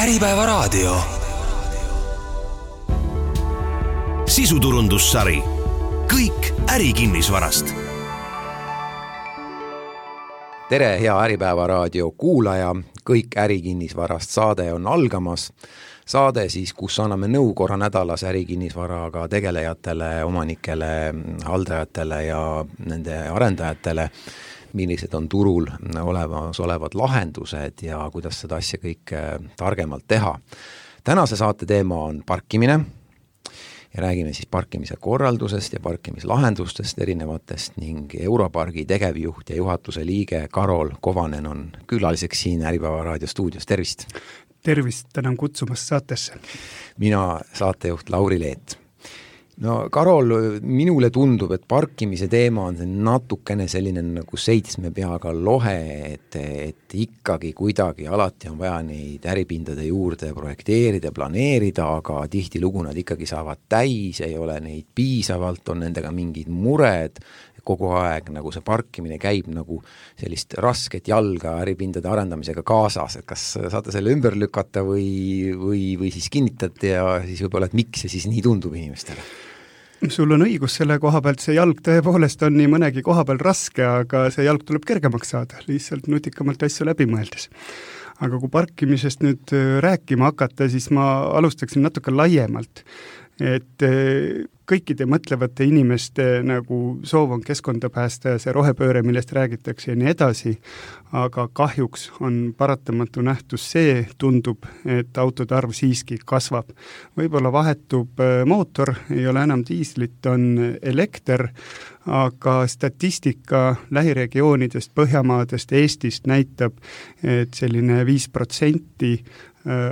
Äripäevaraadio. Sisuturundussari. Kõik ärikinnisvarast. Tere, hea Äripäevaraadio kuulaja. Kõik ärikinnisvarast saade on algamas. Saade siis, kus anname nõu korra nädalas ärikinnisvaraga tegelejatele, omanikele, haldajatele ja nende arendajatele, millised on turul olevad lahendused ja kuidas seda asja kõik targemalt teha. Tänase saate teema on parkimine ja räägime siis parkimise korraldusest ja parkimislahendustest erinevatest ning Europargi tegevjuht ja juhatuse liige Karol Kovanen on külaliseks siin Äripäevaraadio stuudios. Tervist! Tervist, tänan kutsumast saatesse. Mina saatejuht Lauri Leet. No Karol, minule tundub, et parkimise teema on natukene selline nagu 7 peaga lohe, et ikkagi kuidagi alati on vaja neid äripindade juurde projekteerida, planeerida, aga tihtilugu nad ikkagi saavad täis, ei ole neid piisavalt, on nendega mingid mured, kogu aeg nagu see parkimine käib nagu sellist rasket jalga äripindade arendamisega kaasas, et kas saate selle ümber lükata või siis kinnitate ja siis võib-olla, et miks see siis nii tundub inimestele? Sul on õigus selle koha pealt, see jalg tõepoolest on nii mõnegi koha peal raske, aga see jalg tuleb kergemaks saada, lihtsalt nutikamalt asju läbi mõeldes. Aga kui parkimisest nüüd rääkima hakata, siis ma alustaksin natuke laiemalt, et kõikide mõtlevate inimeste nagu soov on keskkonda päästa ja see rohepööre, millest räägitakse ja nii edasi, aga kahjuks on paratamatu nähtus see, tundub, et autode arv siiski kasvab. Võib-olla vahetub mootor, ei ole enam diislit, on elekter, aga statistika lähiregioonidest, Põhjamaadest, Eestist näitab, et selline 5%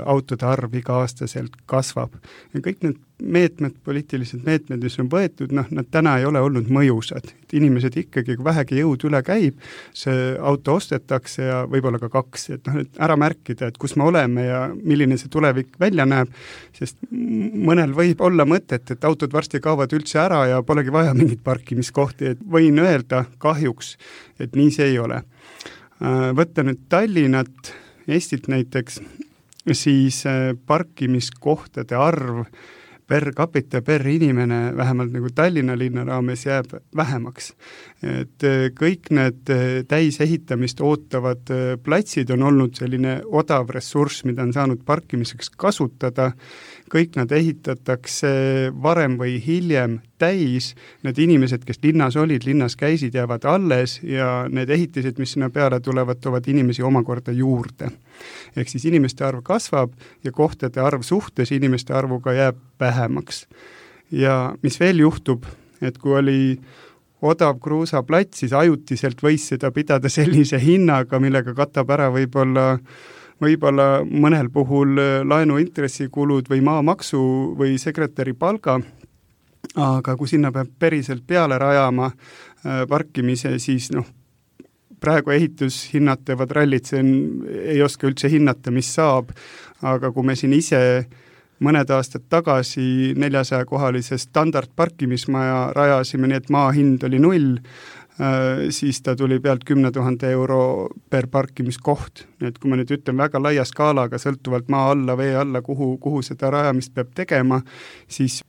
autode arv iga-aastaselt kasvab. Ja kõik need meetmed, poliitilised meetmed, mis on võetud, nad täna ei ole olnud mõjusad. Et inimesed ikkagi, kui vähegi jõud üle käib, see auto ostetakse ja võib-olla ka 2, et ära märkida, et kus me oleme ja milline see tulevik välja näeb, sest mõnel võib olla mõtet, et autod varsti kaovad üldse ära ja polegi vaja mingit parkimiskohti, et võin öelda kahjuks, et nii see ei ole. Võtta nüüd Tallinnat, Eestilt näiteks, siis parkimiskohtade arv per capita, per inimene, vähemalt nagu Tallinna linna raames jääb vähemaks. Et kõik need täisehitamist ootavad platsid on olnud selline odav ressurss, mida on saanud parkimiseks kasutada. Kõik nad ehitatakse varem või hiljem täis, need inimesed, kes linnas olid, linnas käisid, jäävad alles ja need ehitised, mis sinna peale tulevad, toovad inimesi omakorda juurde. Ehk siis inimeste arv kasvab ja kohtade arv suhtes inimeste arvuga jääb vähemaks. Ja mis veel juhtub, et kui oli odav kruusaplats, siis ajutiselt võis seda pidada sellise hinnaga, millega katab ära võib-olla mõnel puhul laenuintressikulud või maamaksu või sekretäri palga, aga kui sinna peab päriselt peale rajama parkimise, siis praegu ehitushinnad teevad rallit, ei oska üldse hinnata, mis saab, aga kui me siin ise mõned aastad tagasi 400-kohalise standardparkimismaja rajasime, nii et maa hind oli 0, siis ta tuli pealt 10 000 euro per parkimiskoht. Et kui ma nüüd ütlen väga laia skaalaga, sõltuvalt maa alla, vee alla, kuhu seda rajamist peab tegema, siis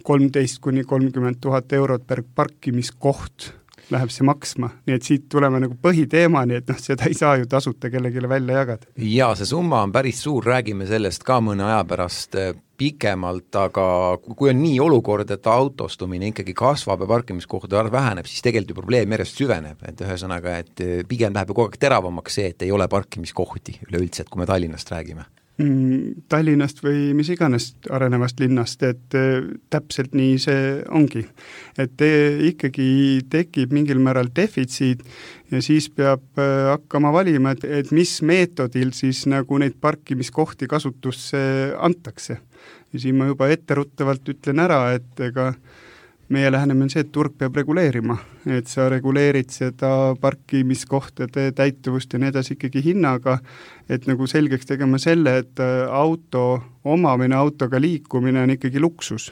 13 kuni 30 000 eurot per parkimiskoht läheb see maksma. Nii et siit tuleme nagu põhiteemani, et seda ei saa ju tasuta kellegile välja jagada. Ja see summa on päris suur, räägime sellest ka mõne aja pärast pikemalt, aga kui on nii olukord, et autostumine ikkagi kasvab ja parkimiskohtade arv väheneb, siis tegelikult ju probleem järjest süveneb. Et ühesõnaga, et pigem läheb kogu aeg teravamaks see, et ei ole parkimiskohti üleüldse, et kui me Tallinnast räägime. Tallinnast või mis iganes arenevast linnast, et täpselt nii see ongi. Et ikkagi tekib mingil määral defitsiit ja siis peab hakkama valima, et mis meetodil siis nagu neid parkimiskohti kasutusse antakse. Ja siin ma juba etteruttavalt ütlen ära, et ega meie lähenemine on see, et turg peab reguleerima, et sa reguleerid seda parkimiskohtade täituvust ja nii edasi ikkagi hinnaga, et nagu selgeks tegema selle, et auto omamine, autoga liikumine on ikkagi luksus.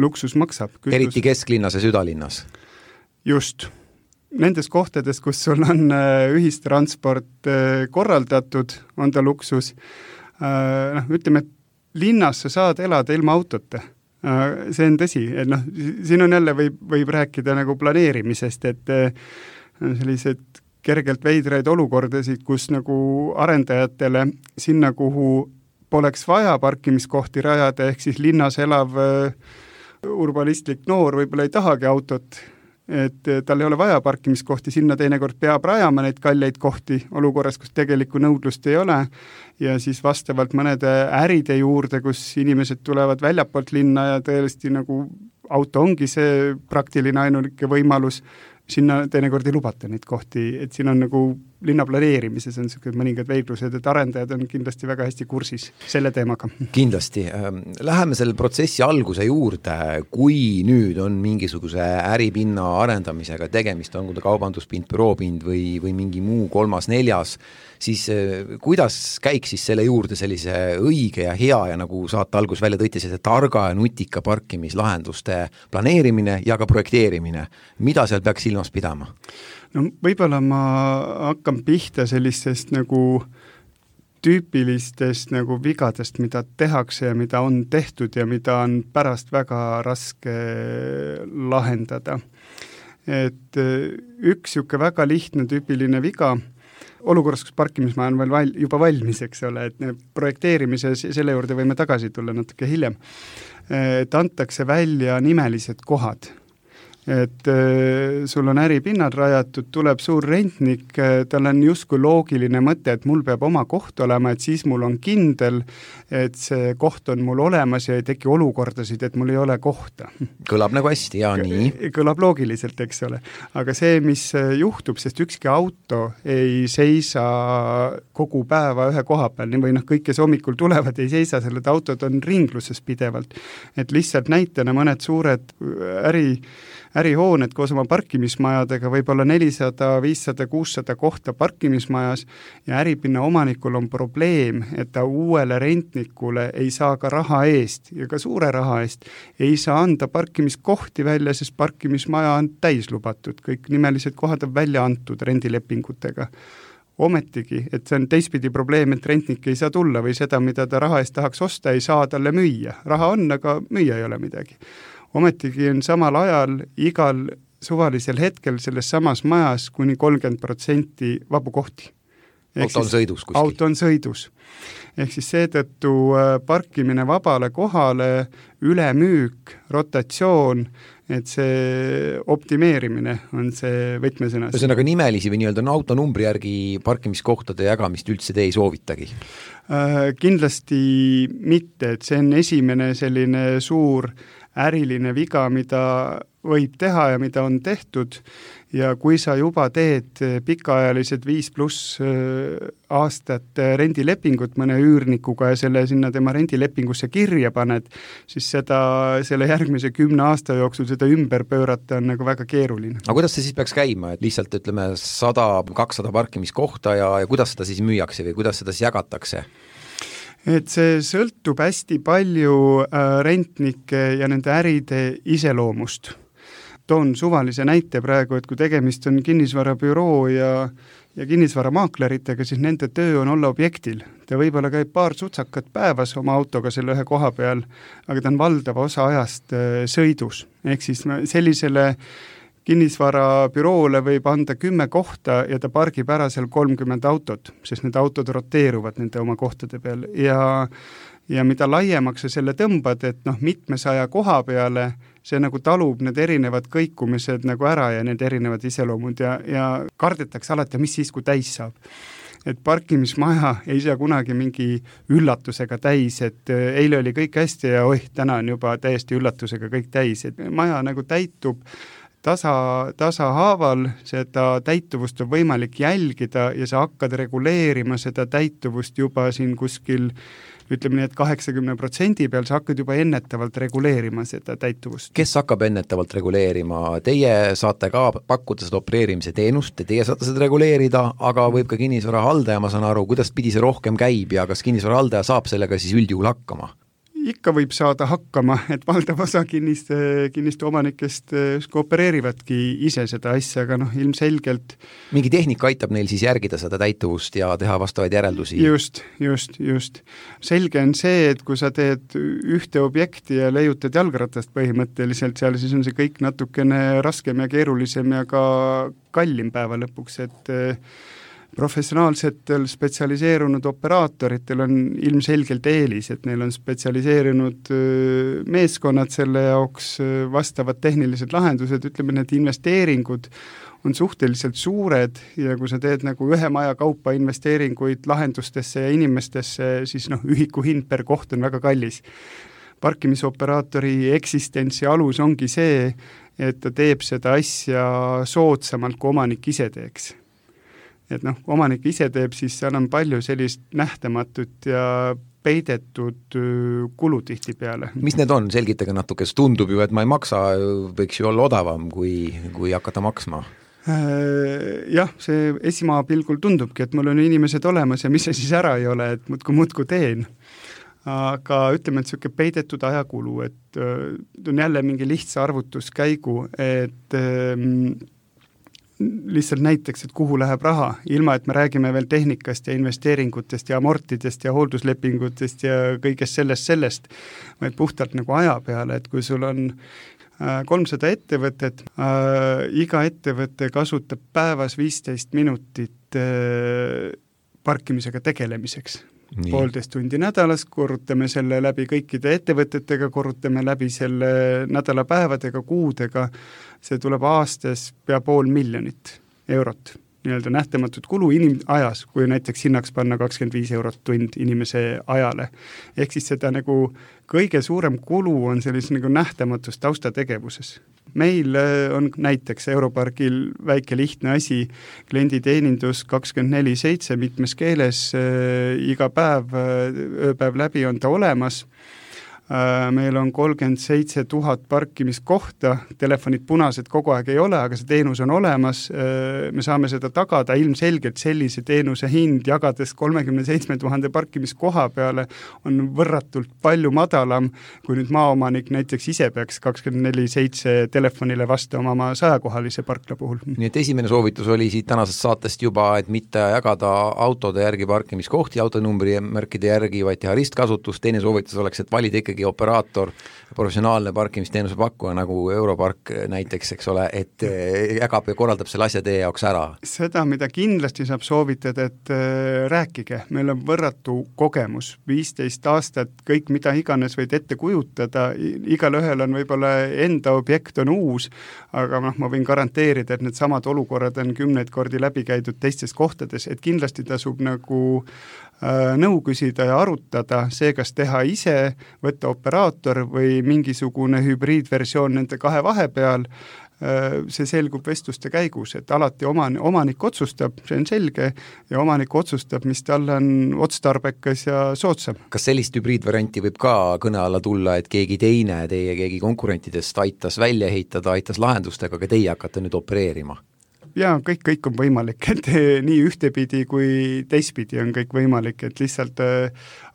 Luksus maksab. Eriti kesklinnas ja südalinnas. Just. Nendes kohtades, kus sul on ühistransport korraldatud, on ta luksus, ütleme, et linnas sa saad elada ilma autota. See on tõsi, et siin on jälle võib rääkida nagu planeerimisest, et sellised kergelt veidraid olukordasid, kus nagu arendajatele sinna, kuhu poleks vaja parkimiskohti rajada, ehk siis linnas elav urbanistlik noor võib-olla ei tahagi autot, et tal ei ole vaja parkimiskohti, sinna teinekord peab rajama neid kalleid kohti olukorras, kus tegelikku nõudlust ei ole ja siis vastavalt mõnede äride juurde, kus inimesed tulevad väljapoolt linna ja tõesti nagu auto ongi see praktiline ainuke võimalus, sinna teinekord ei lubata neid kohti, et siin on nagu linna planeerimises on mõningad veiklused, et arendajad on kindlasti väga hästi kursis selle teemaga. Kindlasti. Läheme selle protsessi alguse juurde, kui nüüd on mingisuguse äripinna arendamisega tegemist, on kui kaubanduspind, büroopind või mingi muu kolmas, neljas, siis kuidas käiks siis selle juurde sellise õige ja hea ja nagu saate algus välja tõite, selle targa ja nutika parkimislahenduste planeerimine ja ka projekteerimine. Mida seal peaks silmas pidama? No võib-olla ma hakkan pihta sellistest nagu tüüpilistest nagu vigadest, mida tehakse ja mida on tehtud ja mida on pärast väga raske lahendada. Et üks siuke väga lihtne tüüpiline viga, olukorras, kus parkimismaja on veel juba valmis, eks ole, et projekteerimise selle juurde võime tagasi tulla natuke hiljem, et antakse välja nimelised kohad. Et sul on äripinnad rajatud, tuleb suur rentnik, tal on justkui loogiline mõte, et mul peab oma koht olema, et siis mul on kindel, et see koht on mul olemas ja ei teki olukordasid, et mul ei ole kohta. Kõlab nagu hästi, ja nii. Kõlab loogiliselt, eks ole. Aga see, mis juhtub, sest ükski auto ei seisa kogu päeva ühe koha peal, või kõik, kes hommikul tulevad, ei seisa, selled autod on ringluses pidevalt. Et lihtsalt näitena mõned suured ärihooned koos oma parkimismajadega, võib-olla 400, 500, 600 kohta parkimismajas ja äripinna omanikul on probleem, et ta uuele rentnikule ei saa ka raha eest ja ka suure raha eest ei saa anda parkimiskohti välja, sest parkimismaja on täis lubatud, kõik nimelised kohad on välja antud rendilepingutega. Ometigi, et see on teistpidi probleem, et rentnik ei saa tulla või seda, mida ta raha eest tahaks osta, ei saa talle müüa. Raha on, aga müüa ei ole midagi. Ometigi on samal ajal igal suvalisel hetkel selles samas majas kuni 30% vabu kohti. Auto on sõidus kuskil. Auto on sõidus. Ehk siis seetõttu parkimine vabale kohale, ülemüük, rotatsioon, et see optimeerimine on see võtmesõna. Ühesõnaga nimelisi või nii-öelda autonumbri järgi parkimiskohtade jagamist üldse te ei soovitagi? Kindlasti mitte, et see on esimene selline suur äriline viga, mida võib teha ja mida on tehtud ja kui sa juba teed pikaajalised 5+ aastat rendilepingut mõne üürnikuga ja selle sinna tema rendilepingusse kirja paned, siis selle järgmise 10 aasta jooksul seda ümber pöörata on nagu väga keeruline. Aga kuidas see siis peaks käima, et lihtsalt ütleme 100-200 parkimiskohta ja kuidas seda siis müüakse või kuidas seda siis jagatakse? Et see sõltub hästi palju rentnike ja nende äride iseloomust. Toon suvalise näite praegu, et kui tegemist on kinnisvarabüroo ja kinnisvaramaakleritega, siis nende töö on olla objektil. Ta võib-olla käib paar sutsakat päevas oma autoga selle ühe koha peal, aga ta on valdava osa ajast sõidus. Ehk siis sellisele kinnisvarabüroole võib anda 10 kohta ja ta pargib ära seal 30 autot, sest need autod roteeruvad nende oma kohtade peal ja mida laiemaks sa selle tõmbad, et mitmesaja koha peale see nagu talub need erinevad kõikumised nagu ära ja need erinevad iseloomud ja kardetakse alati, mis siis, kui täis saab. Et parkimismaja ei saa kunagi mingi üllatusega täis, et eile oli kõik hästi ja täna on juba täiesti üllatusega kõik täis, et maja nagu täitub tasahaaval, seda täituvust on võimalik jälgida ja sa hakkad reguleerima seda täituvust juba siin kuskil, ütleme nii, et 80% peal sa hakkad juba ennetavalt reguleerima seda täituvust. Kes hakkab ennetavalt reguleerima? Teie saate ka pakkuda seda opereerimise teenust, teie saate seda reguleerida, aga võib ka kinnisvarahaldaja, ma saan aru, kuidas pidi see rohkem käib ja kas kinnisvarahaldaja saab sellega siis üldjuhul hakkama? ikka võib saada hakkama, et valdav osa kinniste omanikest koopereerivadki ise seda asja, aga ilmselgelt mingi tehnika aitab neil siis järgida seda täituvust ja teha vastavaid järeldusi. Just. Selge on see, et kui sa teed ühte objekti ja leiutad jalgratast põhimõtteliselt seal, siis on see kõik natukene raskem ja keerulisem ja ka kallim päeva lõpuks, et professionaalsetel spetsialiseerunud operaatoritel on ilmselgelt eelis, et neil on spetsialiseerunud meeskonnad selle jaoks, vastavad tehnilised lahendused, ütleme, need investeeringud on suhteliselt suured ja kui sa teed nagu ühe maja kaupa investeeringuid lahendustesse ja inimestesse, siis ühiku hind per koht on väga kallis. Parkimisoperaatori eksistentsi alus ongi see, et ta teeb seda asja soodsamalt, kui omanik ise teeks. Et omanik ise teeb, siis seal on palju sellist nähtamatut ja peidetud kulu tihti peale. Mis need on? Selgitage natuke, sest tundub ju, et ma ei maksa, võiks ju olla odavam, kui hakata maksma. Jah, see esimaa pilgul tundubki, et mul on inimesed olemas ja mis see siis ära ei ole, et muudku teen. Aga ütleme, et selline peidetud ajakulu, et on jälle mingi lihtsa arvutuskäigu, et lihtsalt näiteks, et kuhu läheb raha, ilma et me räägime veel tehnikast ja investeeringutest ja amortidest ja hoolduslepingutest ja kõigest sellest, vaid puhtalt nagu aja peale, et kui sul on 300 ettevõtet, iga ettevõte kasutab päevas 15 minutit parkimisega tegelemiseks. Nii. 1,5 tundi nädalas, korrutame selle läbi kõikide ettevõtetega, korrutame läbi selle nädalapäevadega, kuudega, see tuleb aastas pea 500 000 eurot. Nii-öelda nähtamatut kulu ajas, kui näiteks hinnaks panna 25 eurot tund inimese ajale. Ehk siis seda nagu kõige suurem kulu on sellis nagu nähtamatus taustategevuses. Meil on näiteks Europarkil väike lihtne asi, klienditeenindus 24/7 mitmes keeles, iga päev, ööpäev läbi on ta olemas. Meil on 37 000 parkimiskohta, telefonid punased kogu aeg ei ole, aga see teenus on olemas, me saame seda tagada, ilmselgelt sellise teenuse hind jagades 37 000 parkimiskoha peale on võrratult palju madalam, kui nüüd maaomanik näiteks ise peaks 24/7 telefonile vastama oma 100-kohalise parkla puhul. Nii et esimene soovitus oli siit tänasest saatest juba, et mitte jagada autode järgi parkimiskohti, autonumbri märkide järgi, vaid teha ristkasutus, teine soovitus oleks, et valida ikkagi operaator, professionaalne parkimisteenuse pakkuja nagu Europark näiteks, eks ole, et jagab ja korraldab selle asja teie jaoks ära. Seda, mida kindlasti saab soovitada, et rääkige, meil on võrratu kogemus, 15 aastat, kõik mida iganes võid ette kujutada, igal ühel on võib-olla enda objekt on uus, aga ma võin garanteerida, et need samad olukorrad on 10 kordi läbi käidud teistes kohtades, et kindlasti tasub nagu nõu küsida ja arutada see, kas teha ise, võtta operaator või mingisugune hübriidversioon nende kahe vahepeal, see selgub vestluste käigus, et alati omanik otsustab, see on selge, ja omanik otsustab, mis tal on otstarbekas ja soodsam. Kas sellist hübriidvarianti võib ka kõne alla tulla, et keegi teine, keegi konkurentidest aitas välja ehitada, aitas lahendustega, aga teie hakkate nüüd opereerima? Ja kõik on võimalik, et nii ühtepidi kui teistpidi on kõik võimalik, et lihtsalt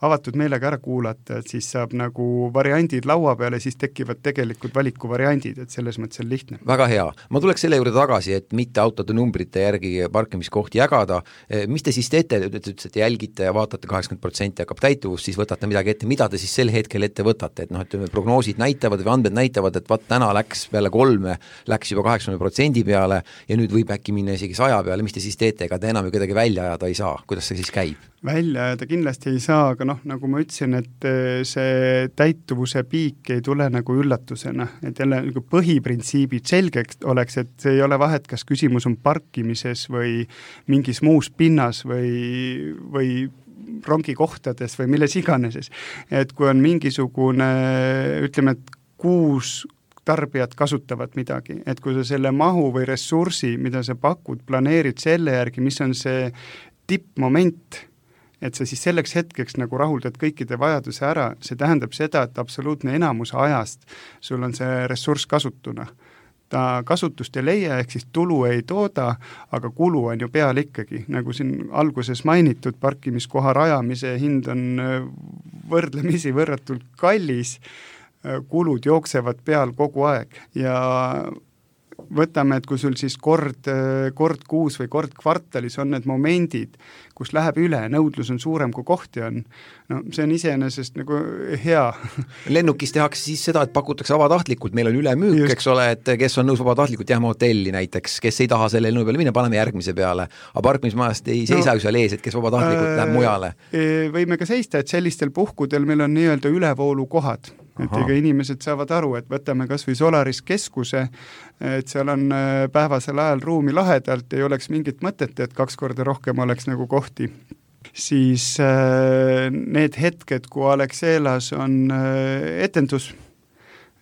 avatud meelega ära kuulata, et siis saab nagu variandid laua peale, siis tekivad tegelikult valikuvariandid, et selles mõttes on lihtne. Väga hea. Ma tuleks selle juurde tagasi, et mitte autode numbrite järgi parkimiskohti jagada. Mis te siis teete, et jälgite ja vaatate 80% hakkab täituvust, siis võtate midagi ette, mida te siis sel hetkel ette võtate, et et prognoosid näitavad või andmed näitavad, et täna läks peale 3, läks juba 80% peale ja nüüd võib äkki minna isegi 100 peale, mis te siis teete, ega te enam ju kedagi välja ajada ei saa, kuidas see siis käib? Välja ajada kindlasti ei saa, aga nagu ma ütlesin, et see täituvuse piik ei tule nagu üllatusena, et jälle nagu põhiprintsiibid selgeks oleks, et see ei ole vahet, kas küsimus on parkimises või mingis muus pinnas või rongikohtades või milles iganeses, et kui on mingisugune, ütleme, et 6 tarbijad kasutavad midagi, et kui sa selle mahu või ressursi, mida sa pakud, planeerid selle järgi, mis on see tippmoment, et sa siis selleks hetkeks nagu rahuldad kõikide vajaduse ära, see tähendab seda, et absoluutne enamus ajast sul on see ressurss kasutuna. Ta kasutust ei leia, ehk siis tulu ei tooda, aga kulu on ju peal ikkagi. Nagu siin alguses mainitud, parkimiskoha rajamise hind on võrdlemisi võrratult kallis, kulud jooksevad peal kogu aeg ja võtame, et kui sul siis kord kuus või kord kvartalis on need momendid, kus läheb üle, nõudlus on suurem kui kohti on, no see on iseenesest nagu hea. Lennukis tehakse siis seda, et pakutakse vabatahtlikult, meil on ülemüük, eks ole, et kes on nõus vabatahtlikult jääma hotelli näiteks, kes ei taha selle lennu peale minna, paneme järgmise peale, aga parkimismajast ei seisa ju seal ees, et kes vabatahtlikult läheb mujale. Võime ka seista, et sellistel puhkudel meil on nii-öelda ülevoolukohad. Et ega inimesed saavad aru, et võtame kas või Solaris keskuse, et seal on päevasel ajal ruumi lahedalt, ei oleks mingit mõtet, et 2 korda rohkem oleks nagu kohti. Siis need hetked, kui Alexelas on etendus,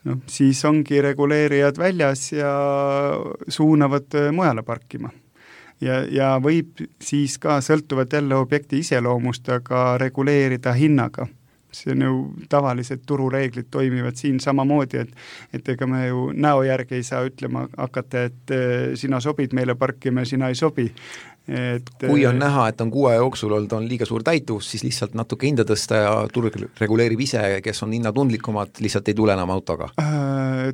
no, siis ongi reguleerijad väljas ja suunavad mujale parkima. Ja võib siis ka sõltuvalt jälle objekti iseloomust, aga reguleerida hinnaga. See on ju tavalised turureeglid toimivad siin samamoodi, et ega me ju näo järgi ei saa ütlema hakata, et sina sobid meile parkima, sina ei sobi. Kui on näha, et on 6 jooksul olnud on liiga suur täituvus, siis lihtsalt natuke hinda tõsta ja turg reguleerib ise, kes on hinnatundlikumad, lihtsalt ei tule enam autoga.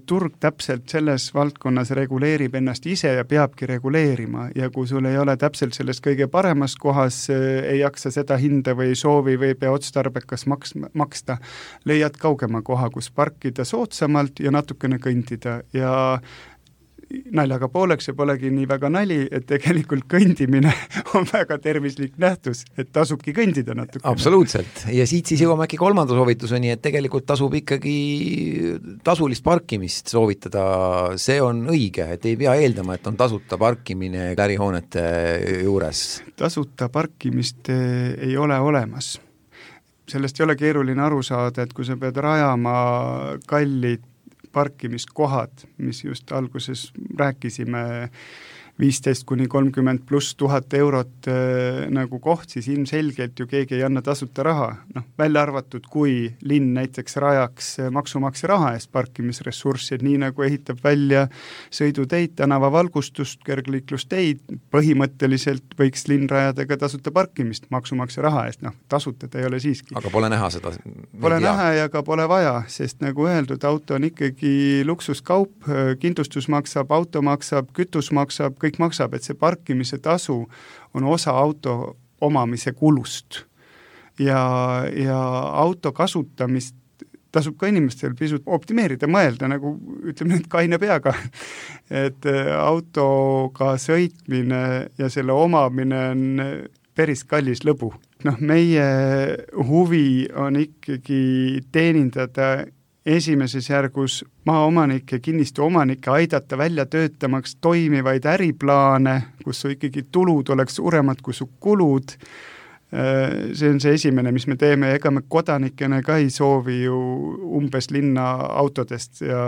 Turg täpselt selles valdkonnas reguleerib ennast ise ja peabki reguleerima ja kui sul ei ole täpselt sellest kõige paremas kohas, ei jaksa seda hinda või soovi või pea otstarbekas maksta, leiad kaugema koha, kus parkida soodsamalt ja natukene kõndida ja naljaga pooleks ja polegi nii väga nali, et tegelikult kõndimine on väga tervislik nähtus, et tasubki kõndida natukene. Absoluutselt. Ja siit siis jõuame äkki 3. soovituseni, et tegelikult tasub ikkagi tasulist parkimist soovitada. See on õige, et ei pea eeldama, et on tasuta parkimine ärihoonete juures. Tasuta parkimist ei ole olemas. Sellest ei ole keeruline aru saada, et kui sa pead rajama kallid parkimiskohad, mis just alguses rääkisime, 15–30 pluss 1000 eurot nagu koht, siis ilmselgelt ju keegi ei anna tasuta raha. No, välja arvatud, kui linn näiteks rajaks maksumaksja raha eest parkimisressurssi, nii nagu ehitab välja sõiduteid, tänavavalgustust, kergliiklusteid, põhimõtteliselt võiks linn rajada ka tasuta parkimist maksumaksja raha eest, noh, tasuta ta ei ole siiski. Aga pole näha seda? Pole näha ja ka pole vaja, sest nagu öeldud, auto on ikkagi luksuskaup, kindlustus maksab, auto maksab, kütus maksab, kõik maksab, et see parkimise tasu on osa auto omamise kulust. Ja auto kasutamist tasub ka inimestel pisut optimeerida, mõelda, nagu ütleme nüüd kaine peaga, et autoga sõitmine ja selle omamine on päris kallis lõbu. Noh, meie huvi on ikkagi teenindada esimeses järgus maaomanike, kinnistu omanikke aidata välja töötamaks toimivaid äriplaane, kus su ikkagi tulud oleks suuremad kui su kulud. See on see esimene, mis me teeme, ega me kodanikena ka ei soovi ju umbes linna autodest ja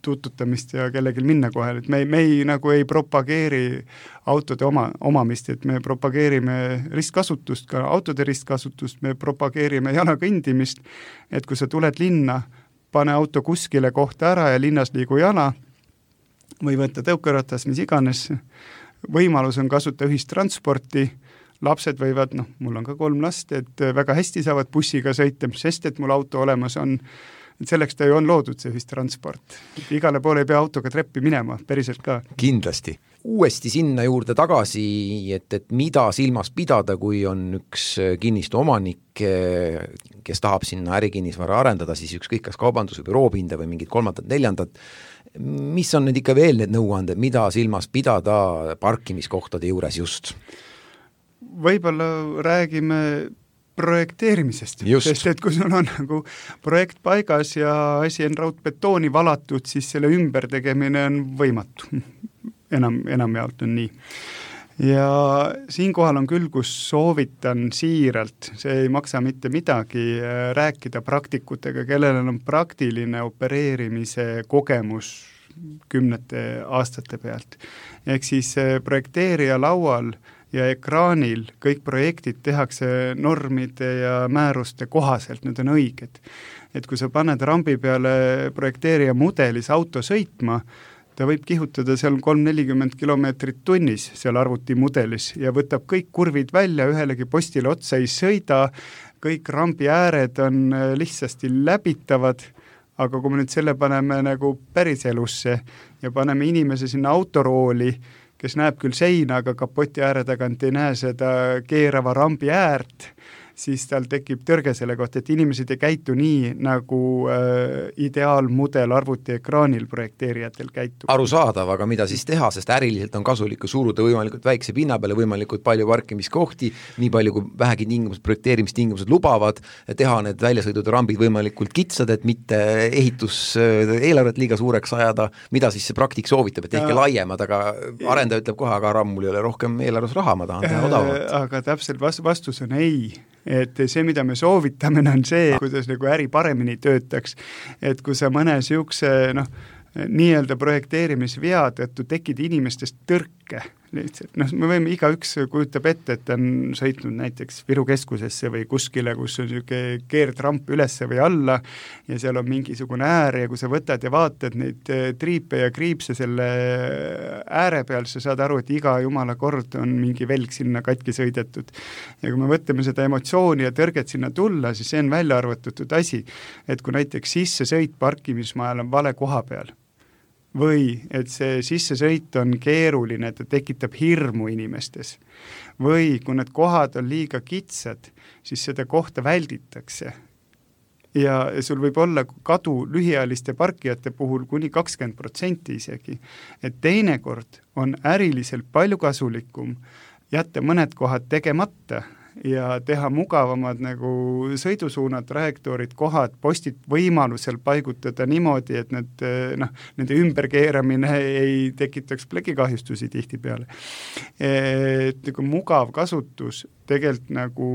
tututamist ja kellelgi minna kohal, et me nagu ei propageeri autode omamist, et me propageerime ristkasutust, ka autode ristkasutust, me propageerime jalakõndimist, et kui sa tuled linna, pane auto kuskile kohta ära ja linnas liigu jala või võtta tõukeratas, mis iganes. Võimalus on kasuta ühistransporti, lapsed võivad, mul on ka 3 last, et väga hästi saavad bussiga sõita, sest et mul auto olemas on. Et selleks ta ju on loodud see ühistransport. Igale poole ei pea autoga treppi minema, päriselt ka. Kindlasti. Uuesti sinna juurde tagasi, et mida silmas pidada, kui on üks kinnistu omanik, kes tahab sinna ärikinnisvara arendada, siis ükskõik kas kaubandus- või büroopinda või mingid 3., 4. Mis on need ikka veel need nõuanded, mida silmas pidada parkimiskohtade juures just? Võib-olla räägime projekteerimisest, sest et kui sul on nagu projekt paigas ja asi on raudbetooni valatud, siis selle ümbertegemine on võimatu. Enamjaolt on nii. Ja siinkohal on küll, kus soovitan siiralt, see ei maksa mitte midagi, rääkida praktikutega, kellel on praktiline opereerimise kogemus 10 aastate pealt. Ehk siis projekteerija laual ja ekraanil kõik projektid tehakse normide ja määruste kohaselt, need on õiged. Et kui sa paned rambi peale projekteerija mudelis auto sõitma, ta võib kihutada seal 3-40 kilomeetrit tunnis seal arvuti mudelis ja võtab kõik kurvid välja, ühelegi postile otsa ei sõida, kõik rambi ääred on lihtsasti läbitavad, aga kui me nüüd selle paneme nagu päris elusse ja paneme inimese sinna autorooli, kes näeb küll seina, aga kapoti ääre tagant ei näe seda keerava rambi äärt, siis tal tekib tõrge selle kohta, et inimesed ei käitu nii, nagu ideaalmudel arvutiekraanil projekteerijatel käitub. Arusaadav, aga mida siis teha, sest äriliselt on kasulik suruda võimalikult väikse pinna peale, võimalikult palju parkimiskohti, nii palju kui vähegi projekteerimistingimused lubavad, teha need väljasõidud rambid võimalikult kitsad, et mitte ehitus-eelarvet liiga suureks ajada, mida siis see praktik soovitab, et ehk laiemad, aga arendaja ütleb kohe, aga mul ei ole rohkem eelarves raha, ma tahan teha odavalt. Aga täpselt vastus on ei. Et see, mida me soovitame, on see, kuidas nagu äri paremini töötaks, et kui sa mõne siukse nii-öelda projekteerimisvea tõttu tekid inimestest tõrke, lihtsalt, me võime igaüks kujutab ette, et on sõitnud näiteks Viru keskusesse või kuskile, kus on niisugune keerdramp ülesse või alla ja seal on mingisugune äär ja kui sa võtad ja vaatad neid triipe ja kriipse selle ääre peal, sa saad aru, et iga jumala kord on mingi velg sinna katki sõidetud. Ja kui me võtame seda emotsiooni ja tõrget sinna tulla, siis see on välja arvutatud asi, et kui näiteks sissesõit parkimismajal on vale koha peal, või et see sissesõit on keeruline, et ta tekitab hirmu inimestes. Või kui need kohad on liiga kitsad, siis seda kohta välditakse. Ja sul võib olla kadu lühiajaliste parkijate puhul kuni 20% isegi. Et teinekord on äriliselt palju kasulikum jätta mõned kohad tegemata ja teha mugavamad nagu sõidusuunad, trajektoorid, kohad, postid võimalusel paigutada niimoodi, et nende ümberkeeramine ei tekitaks plekikahjustusi tihtipeale. Et nagu mugav kasutus tegelikult nagu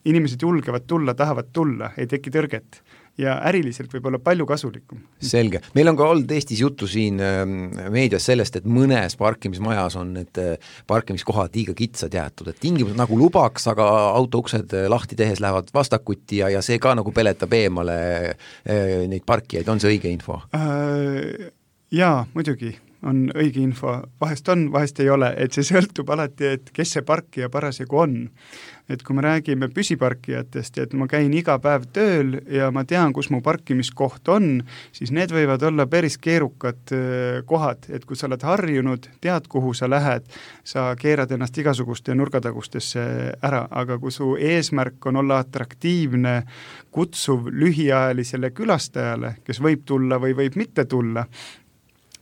inimesed julgevad tulla, tahavad tulla, ei teki tõrget. Ja äriliselt võib olla palju kasulikum. Selge. Meil on ka olnud Eestis juttu siin meedias sellest, et mõnes parkimismajas on need parkimiskohad liiga kitsad jäetud, et tingimused nagu lubaks, aga autouksed lahti tehes lähevad vastakuti ja see ka nagu peletab eemale neid parkijaid. On see õige info? Jaa, muidugi on õige info. Vahest on, vahest ei ole, et see sõltub alati, et kes see parkija parasjagu on. Et kui me räägime püsiparkijatest, et ma käin iga päev tööl ja ma tean, kus mu parkimiskoht on, siis need võivad olla päris keerukad kohad, et kui sa oled harjunud, tead, kuhu sa lähed, sa keerad ennast igasuguste nurgatagustesse ära, aga kui su eesmärk on olla atraktiivne, kutsuv lühiajalisele külastajale, kes võib tulla või võib mitte tulla,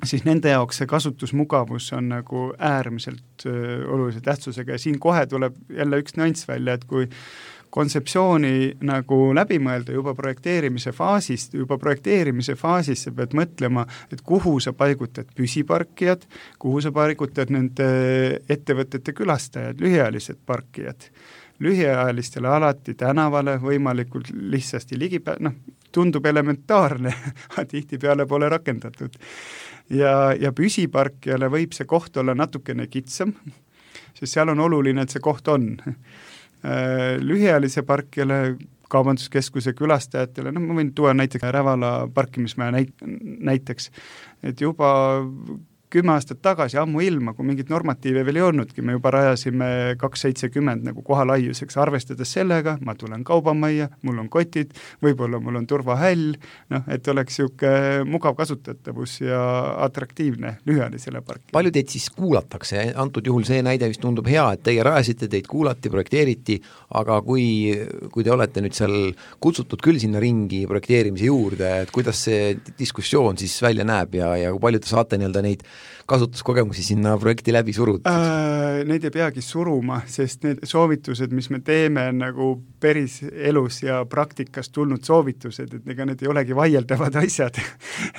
siis nende jaoks see kasutusmugavus on nagu äärmiselt olulise tähtsusega ja siin kohe tuleb jälle üks nüanss välja, et kui kontseptsiooni nagu läbi mõelda juba projekteerimise faasis sa pead mõtlema, et kuhu sa paigutad püsiparkijad, kuhu sa paigutad nende ettevõtete külastajad, lühiajalised parkijad. Lühiajalistele alati tänavale võimalikult lihtsasti tundub elementaarne, tihtipeale pole rakendatud. Ja püsiparkijale võib see koht olla natukene kitsam, sest seal on oluline, et see koht on. Lühiajalise parkijale, kaubanduskeskuse külastajatele, ma võin tuua näiteks Rävala parkimismaja näiteks, et juba 10 aastat tagasi, ammu ilma, kui mingit normatiive veel ei olnudki, me juba rajasime 270 nagu kohalaiuseks, arvestades sellega, ma tulen kaubamajja, mul on kotid, võib-olla mul on turvahäll, et oleks siuke mugav kasutatavus ja atraktiivne lühiajalisele parkile. Palju teid siis kuulatakse? Antud juhul see näide vist tundub hea, et teie rajasite, teid kuulati, projekteeriti, aga kui te olete nüüd seal kutsutud küll sinna ringi projekteerimise juurde, et kuidas see diskussioon siis välja näeb ja kui palju te saate neid kasutuskogemusi sinna projekti läbi surutud? Neid ei peagi suruma, sest need soovitused, mis me teeme, on nagu päris elus ja praktikas tulnud soovitused, et ega need ei olegi vaieldavad asjad.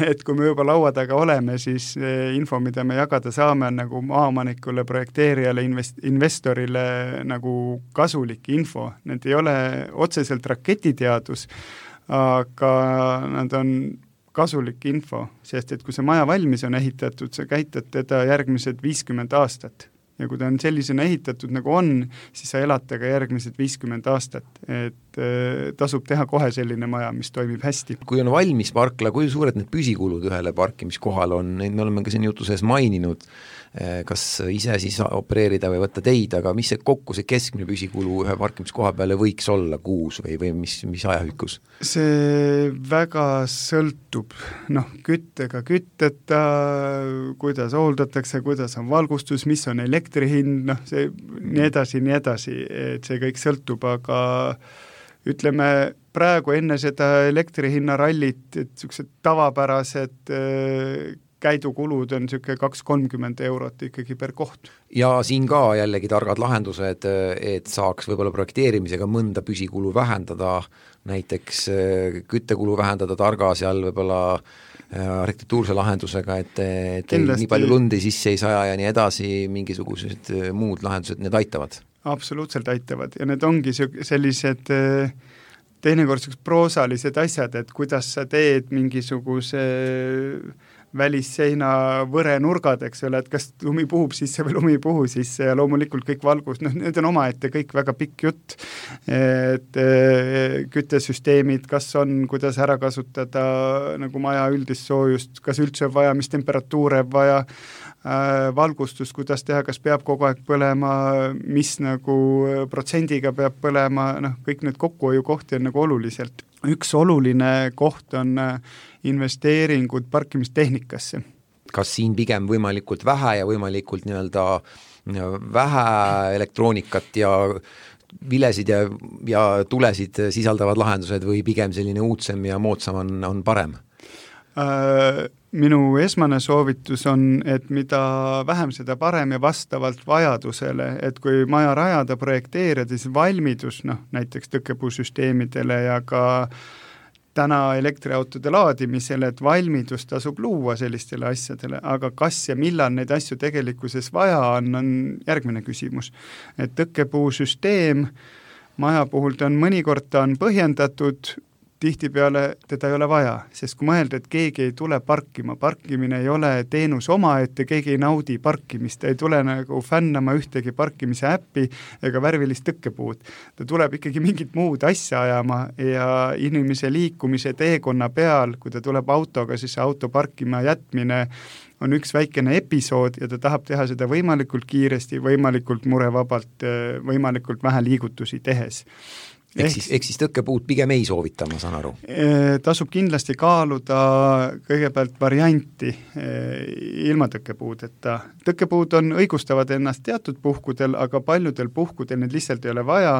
Et kui me juba laua taga oleme, siis info, mida me jagada saame, on nagu maaomanikule, projekteerijale, investorile nagu kasulik info. Need ei ole otseselt raketiteadus, aga nad on kasulik info, sest et kui see maja valmis on ehitatud, sa käitad teda järgmised 50 aastat. Ja kui ta on sellisena ehitatud nagu on, siis sa elad ka järgmised 50 aastat. Et tasub teha kohe selline maja, mis toimib hästi. Kui on valmis parkla, kui suured need püsikulud ühele parkimiskohal on, neid me oleme ka siin jutu sees maininud, kas ise siis opereerida või võtta teid, aga mis see kokku see keskmine püsikulu ühe parkimiskoha peale võiks olla kuus või mis ajahükkus? See väga sõltub, küttega kütteta, kuidas hooldatakse, kuidas on valgustus, mis on elektri hind, see nii edasi, et see kõik sõltub, aga ütleme praegu enne seda elektrihinna rallit, et sellised tavapärased käidukulud on niisugune 2-30 eurot ikkagi per koht. Ja siin ka jällegi targad lahendused, et saaks võib-olla projekteerimisega mõnda püsikulu vähendada, näiteks küttekulu vähendada targa seal võib-olla arhitektuurse lahendusega, et nii palju lundi sisse ei saja ja nii edasi, mingisugused muud lahendused, need aitavad? Absoluutselt aitavad ja need ongi sellised teinekord proosalised asjad, et kuidas sa teed mingisuguse välisseina võrenurgad, eks ole, et kas lumi puhub sisse või lumi puhu sisse ja loomulikult kõik valgus, need on omaette kõik väga pikk jutt, et küttesüsteemid, kas on, kuidas ära kasutada nagu maja üldist soojust, kas üldse on vaja, mis temperatuure vaja, valgustus, kuidas teha, kas peab kogu aeg põlema, mis nagu protsendiga peab põlema, kõik need kokkuhoiukohti on nagu oluliselt. Üks oluline koht on investeeringud parkimistehnikasse. Kas siin pigem võimalikult vähe ja võimalikult vähe elektroonikat ja vilesid ja tulesid sisaldavad lahendused või pigem selline uudsem ja moodsam on parem? Minu esmane soovitus on, et mida vähem seda parem ja vastavalt vajadusele, et kui maja rajada, projekteerida, siis valmidus, näiteks tõkkepuusüsteemidele ja ka täna elektriautode laadimisele, et valmidus tasub luua sellistele asjadele, aga kas ja millal neid asju tegelikkuses vaja on järgmine küsimus. Et tõkkepuusüsteem maja puhul mõnikord ta on põhjendatud, tihtipeale teda ei ole vaja, sest kui mõelda, et keegi ei tule parkima, parkimine ei ole teenus omaette, keegi ei naudi parkimist, ei tule nagu fännama ühtegi parkimise äppi ega värvilist tõkkepuud. Ta tuleb ikkagi mingit muud asja ajama ja inimese liikumise teekonna peal, kui ta tuleb autoga, siis auto parkima jätmine on üks väikene episood ja ta tahab teha seda võimalikult kiiresti, võimalikult murevabalt, võimalikult vähe liigutusi tehes. Ehk siis tõkkepuud pigem ei soovita, ma saan aru? Tasub kindlasti kaaluda kõigepealt varianti ilma tõkkepuudeta. Tõkkepuud on õigustavad ennast teatud puhkudel, aga paljudel puhkudel need lihtsalt ei ole vaja.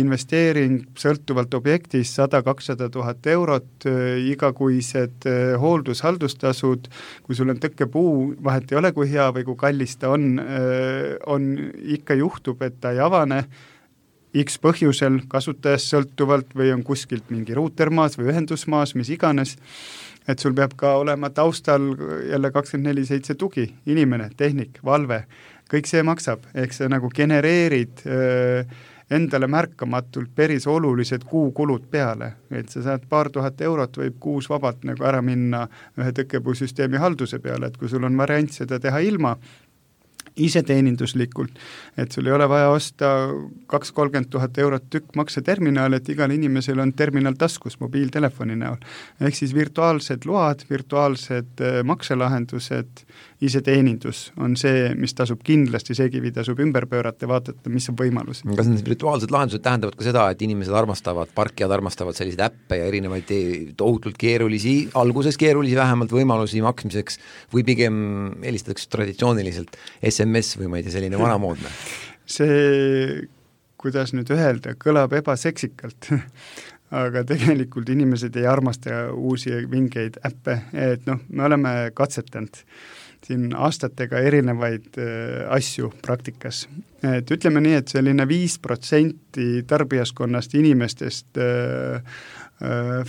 Investeering sõltuvalt objektist 100-200 000 eurot, igakuised hooldushaldustasud, kui sul on tõkkepuu, vahet ei ole, kui hea või kui kallis ta on ikka juhtub, et ta ei avane, X põhjusel kasutajast sõltuvalt või on kuskilt mingi ruuter maas või ühendus maas, mis iganes, et sul peab ka olema taustal jälle 24/7 tugi, inimene, tehnik, valve, kõik see maksab, ehk sa nagu genereerid endale märkamatult päris olulised kuukulud peale, et sa saad paar tuhat eurot võib kuus vabalt nagu ära minna ühe tõkkepuusüsteemi halduse peale, et kui sul on variant seda teha ilma, iseteeninduslikult, et sul ei ole vaja osta 2-30 000 eurot tükk makseterminaal, et igal inimesel on terminal taskus mobiiltelefoni näol. Ehk siis virtuaalsed load, virtuaalsed makselahendused, iseteenindus on see, mis tasub kindlasti, see kivi tasub ümber pöörata ja vaadata, mis on võimalus. Kas need virtuaalsed lahendused tähendavad ka seda, et inimesed armastavad, parkijad armastavad selliseid äppe ja erinevaid tohutult keerulisi, alguses keerulisi vähemalt võimalusi maksmiseks või pigem helistatakse traditsiooniliselt SMS või ma ei tea, selline vanamoodne? See, kuidas nüüd öelda, kõlab ebaseksikalt, aga tegelikult inimesed ei armasta uusi vingeid äppe, et me oleme katsetanud siin aastatega erinevaid asju praktikas. Et ütleme nii, et selline 5% tarbijaskonnast inimestest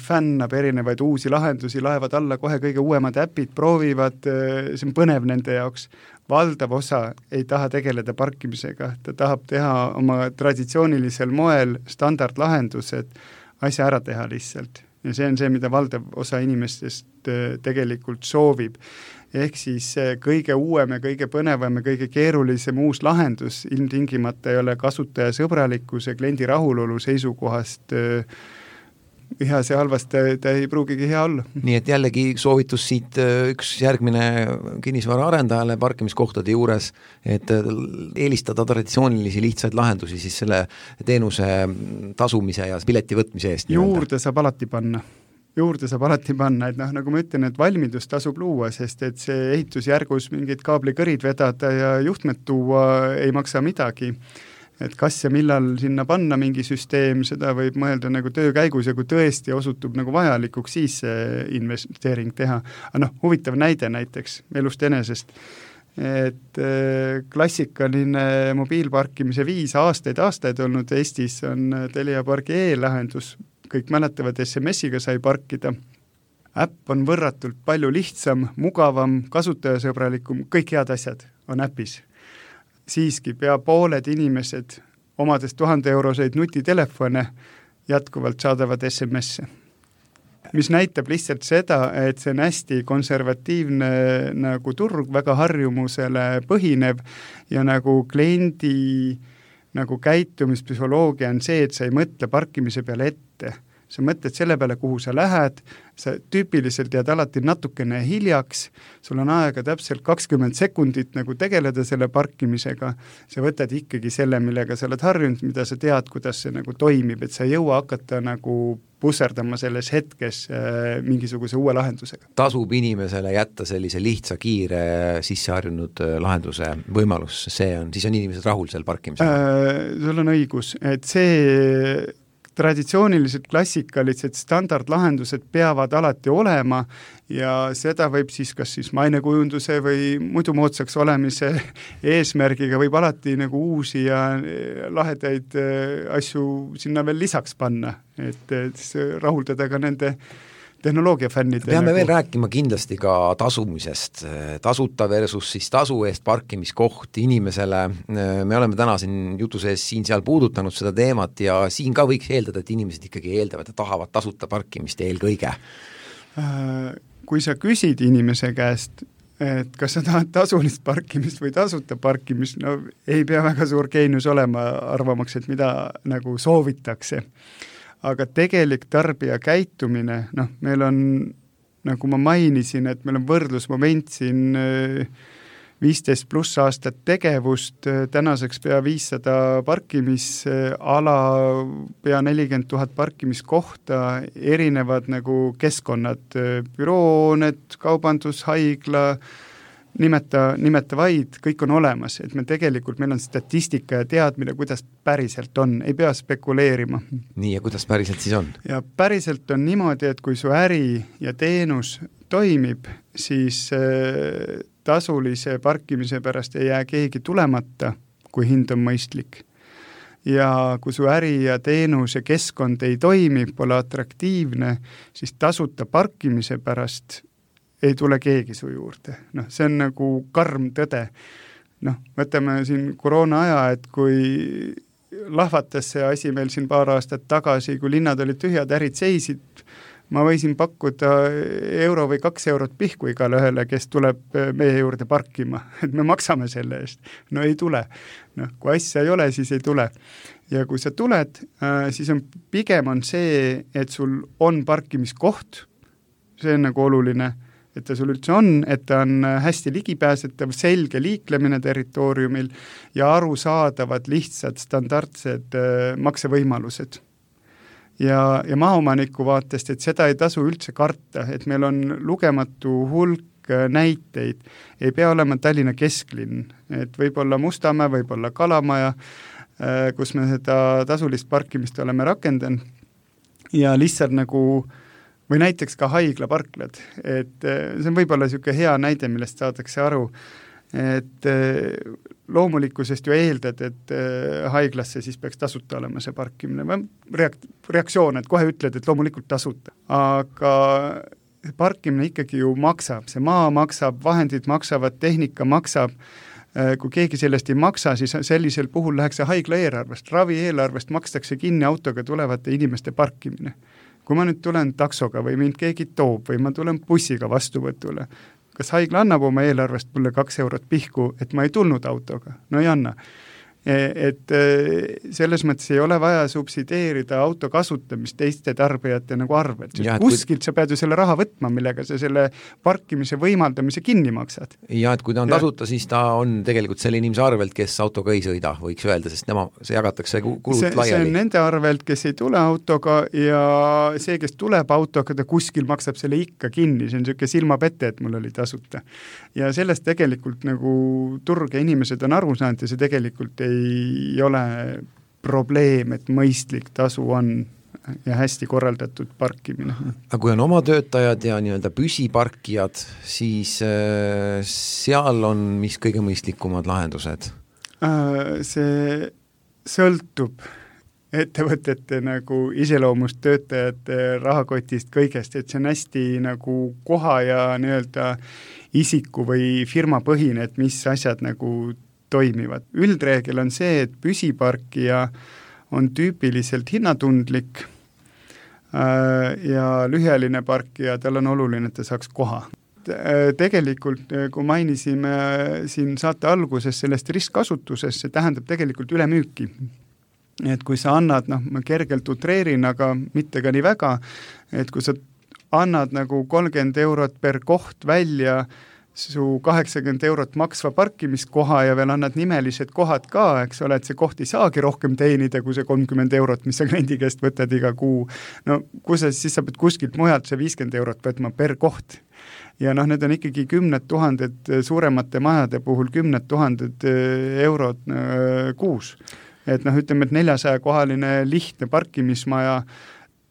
fännab erinevaid uusi lahendusi, laevad alla kohe kõige uuemad äpid, proovivad, see on põnev nende jaoks. Valdav osa ei taha tegeleda parkimisega, ta tahab teha oma traditsioonilisel moel standardlahendused, asja ära teha lihtsalt. ja see on see, mida valdav osa inimestest tegelikult soovib. Ehk siis kõige uuem ja kõige põnevam ja kõige keerulisem uus lahendus ilmtingimata ei ole kasutajasõbralikkuse, kliendi rahulolu seisukohast hea, see halvast ta ei pruugigi hea olla. Nii et jällegi soovitus siit üks järgmine kinnisvara arendajale parkimiskohtade juures, et eelistada traditsioonilisi lihtsaid lahendusi siis selle teenuse tasumise ja pileti võtmise eest. Juurde saab alati panna, et nagu ma ütlen, et valmidus tasub luua, sest et see ehitusjärgus mingid kaablikõrid vedada ja juhtmed tuua ei maksa midagi. Et kas ja millal sinna panna mingi süsteem, seda võib mõelda nagu töö käigus ja kui tõesti osutub nagu vajalikuks, siis see investeering teha. Aga huvitav näide näiteks elust enesest, et klassikaline mobiilparkimise viis aastaid olnud Eestis on Telia Pargi e-lahendus. Kõik mäletavad, SMS-iga sai parkida. Äpp on võrratult palju lihtsam, mugavam, kasutajasõbralikum, kõik head asjad on äpis. Siiski pea pooled inimesed omades 1000 euroseid nutitelefone jätkuvalt saadavad SMS-e. Mis näitab lihtsalt seda, et see on hästi konservatiivne nagu turg, väga harjumusele põhinev ja nagu kliendi nagu käitumispsühholoogia on see, et sa ei mõtle parkimise peale ette. Sa mõtled selle peale, kuhu sa lähed, sa tüüpiliselt jääd alati natukene hiljaks, sul on aega täpselt 20 sekundit nagu tegeleda selle parkimisega, sa võtad ikkagi selle, millega sa oled harjunud, mida sa tead, kuidas see nagu toimib, et sa ei jõua hakata nagu pusserdama selles hetkes mingisuguse uue lahendusega. Tasub inimesele jätta sellise lihtsa, kiire, sisseharjunud lahenduse võimalus, siis on inimesed rahul seal parkimisega? Sul on õigus, et see traditsioonilised klassikalised standardlahendused peavad alati olema ja seda võib siis kas siis mainekujunduse või muidu moodsaks olemise eesmärgiga võib alati nagu uusi ja lahedaid asju sinna veel lisaks panna, et rahuldada ka nende tehnoloogiafännide. Peame veel rääkima kindlasti ka tasumisest, tasuta versus siis tasu eest parkimiskoht inimesele. Me oleme täna siin jutu sees siin-seal puudutanud seda teemat ja siin ka võiks eeldada, et inimesed ikkagi eeldavad ja tahavad tasuta parkimist eelkõige. Kui sa küsid inimese käest, et kas sa tahad tasulist parkimist või tasuta parkimist, no ei pea väga suur geenius olema arvamaks, et mida nagu soovitakse. Aga tegelik tarbija käitumine, meil on, nagu ma mainisin, et meil on võrdlusmoment siin 15+ aastat tegevust, tänaseks pea 500 parkimisala, pea 40 000 parkimiskohta, erinevad nagu keskkonnad, bürooned, kaubandus, haigla, nimeta vaid, kõik on olemas, et meil on statistika ja teadmine, kuidas päriselt on, ei pea spekuleerima. Nii, ja kuidas päriselt siis on? Ja päriselt on niimoodi, et kui su äri ja teenus toimib, siis tasulise parkimise pärast ei jää keegi tulemata, kui hind on mõistlik. Ja kui su äri ja teenus ja keskkond ei toimi, pole atraktiivne, siis tasuta parkimise pärast ei tule keegi su juurde. See on nagu karm tõde. Võtame siin koroona aja, et kui lahvatas see asi meil siin paar aastat tagasi, kui linnad olid tühjad, ärid seisid, ma võisin pakkuda euro või 2 eurot pihku igale ühele, kes tuleb meie juurde parkima, et me maksame selle eest. No ei tule. Kui asja ei ole, siis ei tule. Ja kui sa tuled, siis pigem on see, et sul on parkimiskoht, see on nagu oluline, et ta sul üldse on, et ta on hästi ligipääsetav, selge liiklemine territooriumil ja arusaadavad lihtsad standardsed maksevõimalused. Ja maaomaniku vaatest, et seda ei tasu üldse karta, et meil on lugematu hulk näiteid, ei pea olema Tallinna kesklinn, et võib olla Mustamäe, võib olla Kalamaja, kus me seda tasulist parkimist oleme rakendanud ja lihtsalt nagu või näiteks ka haiglaparklad, et see on võib-olla niisugune hea näide, millest saadakse aru, et loomulikkusest ju eeldad, et haiglasse siis peaks tasuta olema see parkimine, reaktsioon, et kohe ütled, et loomulikult tasuta, aga parkimine ikkagi ju maksab, see maa maksab, vahendid maksavad, tehnika maksab, kui keegi sellest ei maksa, siis sellisel puhul läheks see haigla eelarvest, ravi eelarvest makstakse kinni autoga tulevate inimeste parkimine. kui ma nüüd tulen taksoga või mind keegi toob või ma tulen bussiga vastuvõtule, kas haigla annab oma eelarvest mulle 2 eurot pihku, et ma ei tulnud autoga? No ei anna. Et selles mõttes ei ole vaja subsideerida auto kasutamist teiste tarbijate nagu arvelt. Kuskilt sa pead ju selle raha võtma, millega sa selle parkimise võimaldamise kinni maksad. Ja et kui ta on tasuta, siis ta on tegelikult selle inimese arvelt, kes autoga ei sõida, võiks öelda, sest see jagatakse kulud laiali. See on nende arvelt, kes ei tule autoga ja see, kes tuleb autoga, ta kuskil maksab selle ikka kinni, see on niisugune silmapette, et mul oli tasuta. Ja sellest tegelikult nagu turg ja inimesed on aru saanud ja see tegelikult ei ole probleem, et mõistlik tasu on ja hästi korraldatud parkimine. Aga kui on oma töötajad ja nii-öelda püsiparkijad, siis seal on mis kõige mõistlikumad lahendused? See sõltub ettevõtete nagu iseloomust, töötajate rahakotist, kõigest, et see on hästi nagu koha ja nii-öelda isiku või firma põhine, et mis asjad nagu toimivad. Üldreegel on see, et püsiparkija on tüüpiliselt hinnatundlik ja lühiajaline parkija, tal on oluline, et ta saaks koha. Tegelikult, kui mainisime siin saate alguses sellest ristkasutuses, see tähendab tegelikult ülemüüki. Et kui sa annad, ma kergelt utreerin, aga mitte ka nii väga, et kui sa annad nagu 30 eurot per koht välja su 80 eurot maksva parkimiskoha ja veel annad nimelised kohad ka, eks ole, et see koht ei saagi rohkem teenida kui see 30 eurot, mis sa kliendi käest võtad iga kuu. No kui siis sa pead kuskilt mujalt see 50 eurot võtma per koht. Ja need on ikkagi 10 000 suuremate majade puhul 10 000 eurot kuus. Et ütleme, et 400-kohaline lihtne parkimismaja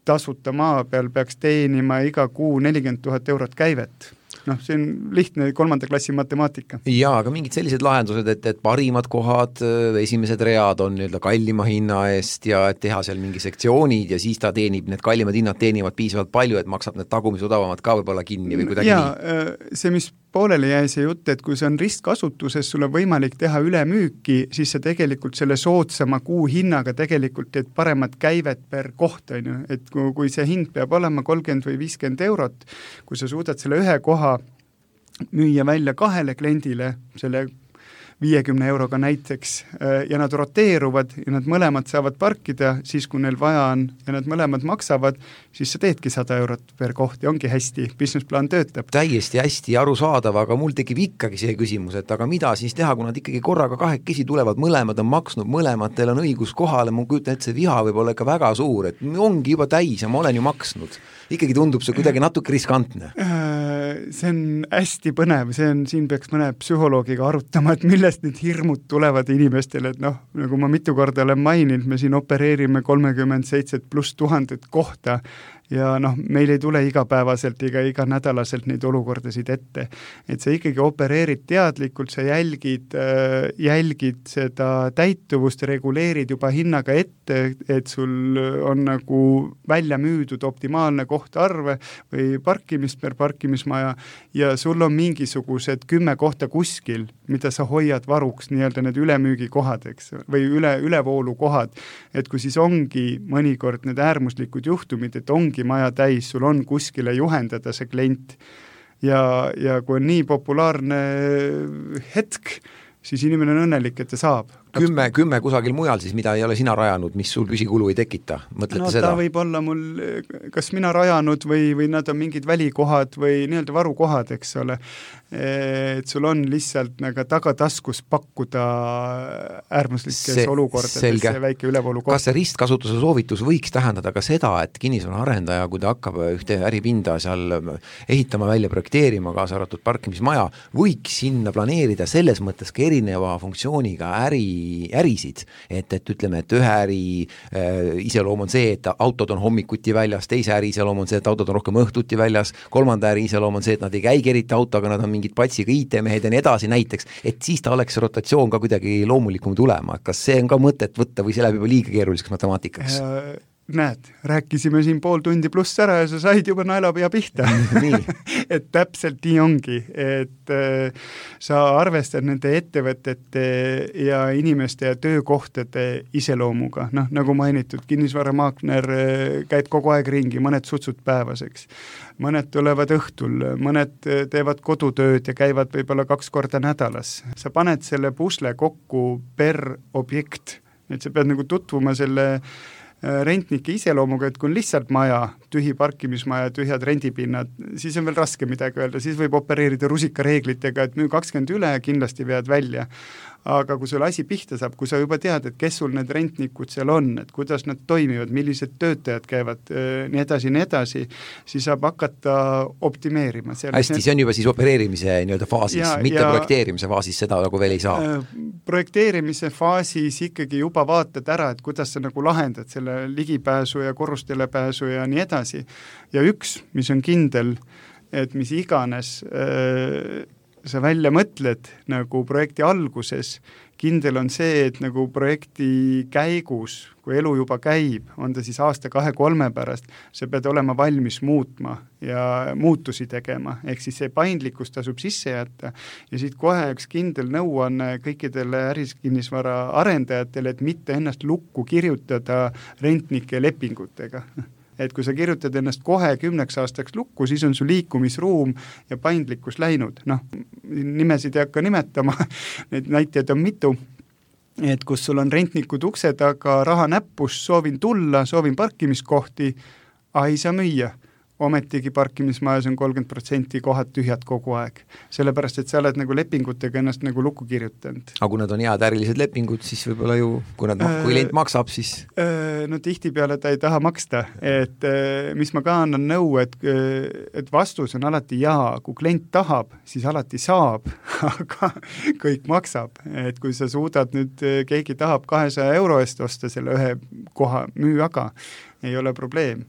tasuta maa peal peaks teenima iga kuu 40 000 eurot käivet. See on lihtne 3. klassi matemaatika. Jaa, aga mingid sellised lahendused, et parimad kohad, esimesed read on nii-öelda kallima hinna eest ja et teha seal mingi sektsioonid ja siis ta teenib, need kallimad hinnad teenivad piisavalt palju, et maksab need tagumis odavamad ka võib-olla kinni või kuidagi nii. See, mis pooleli jäi see jutt, et kui see on ristkasutuses, sul on võimalik teha ülemüüki, siis sa tegelikult selle soodsama kuu hinnaga tegelikult teed paremat käivet per koht, et kui see hind peab olema 30 või 50 eurot, kui sa suudad selle ühe koha müüa välja 2 kliendile, selle 50 euroga näiteks ja nad roteeruvad ja nad mõlemad saavad parkida siis, kui neil vaja on ja nad mõlemad maksavad, siis sa teedki 100 eurot per koht ja ongi hästi, businessplaan töötab. Täiesti hästi arusaadav, aga mul tekib ikkagi see küsimus, et aga mida siis teha, kui nad ikkagi korraga 2 tulevad, mõlemad on maksnud, mõlematel on õigus kohale, ma kujutan, et see viha võib olla ikka väga suur, et ongi juba täis ja ma olen ju maksnud. Ikkagi tundub see kuidagi natuke riskantne. See on hästi põnev, siin peaks mõne psühholoogiga arutama, et millest need hirmud tulevad inimestele, et nagu ma mitu korda olen maininud, me siin opereerime 37,000+ kohta ja meil ei tule igapäevaselt ega iganädalaselt neid olukordasid ette. Et sa ikkagi opereerid teadlikult, sa jälgid seda täituvust, reguleerid juba hinnaga ette, et sul on nagu välja müüdud optimaalne kohtarve või parkimist per parkimismaja ja sul on mingisugused 10 kohta kuskil, mida sa hoiad varuks, nii-öelda need ülemüügikohad, eks, või ülevoolukohad, et kui siis ongi mõnikord need äärmuslikud juhtumid, et ongi maja täis, sul on kuskile juhendada see klient ja kui on nii populaarne hetk, siis inimene on õnnelik, et ta saab. 10 kusagil mujal siis, mida ei ole sina rajanud, mis sul püsikulu ei tekita, mõtlete seda? Ta võib olla mul, kas mina rajanud või nad on mingid välikohad või nii-öelda varukohad, eks ole. Et sul on lihtsalt nagu tagataskus pakkuda äärmuslikes olukordades see väike ülevoolukoht. Kas see ristkasutuse soovitus võiks tähendada ka seda, et kinnisvara arendaja, kui ta hakkab ühte äripinda seal ehitama, välja projekteerima, kaasa arvatud parkimismaja, võiks sinna planeerida selles mõttes ka erineva funktsiooniga ärisid, et ütleme, et ühe äri iseloom on see, et autod on hommikuti väljas, teise äri iseloom on see, et autod on rohkem õhtuti väljas, 3. äri iseloom on see, et nad ei käigi eriti autoga, nad on mingid patsiga IT-mehed ja nii edasi näiteks, et siis ta oleks rotatsioon ka kuidagi loomulikum tulema. Kas see on ka mõtet võtta või see läheb juba liiga keeruliseks matemaatikaks? näed, rääkisime siin pool tundi pluss ära ja sa said juba naelapea pihta. Et täpselt nii ongi, et sa arvestad nende ettevõtete ja inimeste ja töökohtade iseloomuga. Noh, nagu mainitud, kinnisvaramaakler käib kogu aeg ringi, mõned sutsud päevaseks. Mõned tulevad õhtul, mõned teevad kodutööd ja käivad võib-olla 2 korda nädalas. Sa paned selle pusle kokku per objekt, et sa pead nagu tutvuma selle rentnike iseloomuga, et kui on lihtsalt maja, tühi parkimismaja, tühjad rendipinnad, siis on veel raske midagi öelda, siis võib opereerida rusikareeglitega, et müü 20 üle ja kindlasti vead välja. Aga kui sul asi pihta saab, kui sa juba tead, et kes sul need rentnikud seal on, et kuidas nad toimivad, millised töötajad käivad, nii edasi, siis saab hakata optimeerima. Hästi, see on juba siis opereerimise faasis, mitte projekteerimise faasis, seda nagu veel ei saa. Projekteerimise faasis ikkagi juba vaatad ära, et kuidas sa nagu lahendad selle ligipääsu ja korrustele pääsu ja nii edasi. Ja üks, mis on kindel, et mis iganes sa välja mõtled nagu projekti alguses, kindel on see, et nagu projekti käigus, kui elu juba käib, on ta siis aasta 2-3 pärast, sa pead olema valmis muutma ja muutusi tegema, ehk siis see paindlikkus tasub sisse jätta ja siit kohe üks kindel nõuanne kõikidele ärikinnisvara arendajatele, et mitte ennast lukku kirjutada rentnike lepingutega. Et kui sa kirjutad ennast kohe 10 aastaks lukku, siis on su liikumisruum ja paindlikkus läinud. Noh, nimesid ei hakka nimetama, neid näiteid on mitu, et kus sul on rentnikud ukse taga, raha näppus, soovin tulla, soovin parkimiskohti, ei saa müüa. Ometigi parkimismajas on 30% kohad tühjad kogu aeg. Sellepärast, et sa oled nagu lepingutega ennast nagu lukku kirjutanud. Aga kui nad on head ärilised lepingud, siis võib-olla ju, kui klient maksab, siis... No tihtipeale ta ei taha maksta. Et mis ma ka annan nõu, et vastus on alati jaa. Kui klient tahab, siis alati saab, aga kõik maksab. Et kui sa suudad nüüd, keegi tahab 200 euro eest osta selle ühe koha, müü aga, ei ole probleem.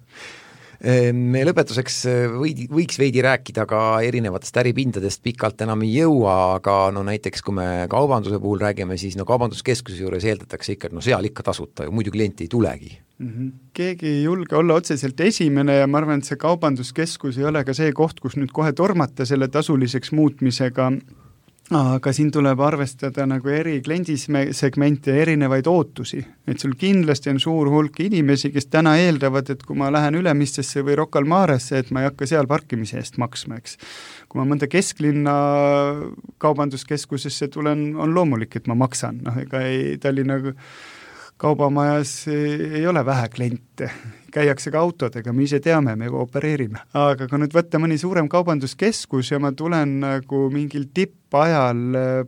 Me lõpetuseks võiks veidi rääkida ka erinevatest äripindadest, pikalt enam ei jõua, aga no näiteks kui me kaubanduse puhul räägime, siis no kaubanduskeskuse juures eeldatakse ikka, et no seal ikka tasuta ju, muidu klienti ei tulegi. Keegi ei julge olla otseselt esimene ja ma arvan, et see kaubanduskeskus ei ole ka see koht, kus nüüd kohe tormata selle tasuliseks muutmisega, aga siin tuleb arvestada nagu eri kliendisegmente ja erinevaid ootusi. Et sul kindlasti on suur hulk inimesi, kes täna eeldavad, et kui ma lähen Ülemistesse või Rocca al Maresse, et ma ei hakka seal parkimise eest maksma, eks. Kui ma mõnda kesklinna kaubanduskeskusesse tulen, on loomulik, et ma maksan. Ega Tallinna kaubamajas ei ole vähe kliente, käiakse ka autodega, me ise teame, me opereerime. Aga kui nüüd võtta mõni suurem kaubanduskeskus ja ma tulen nagu mingil tippajal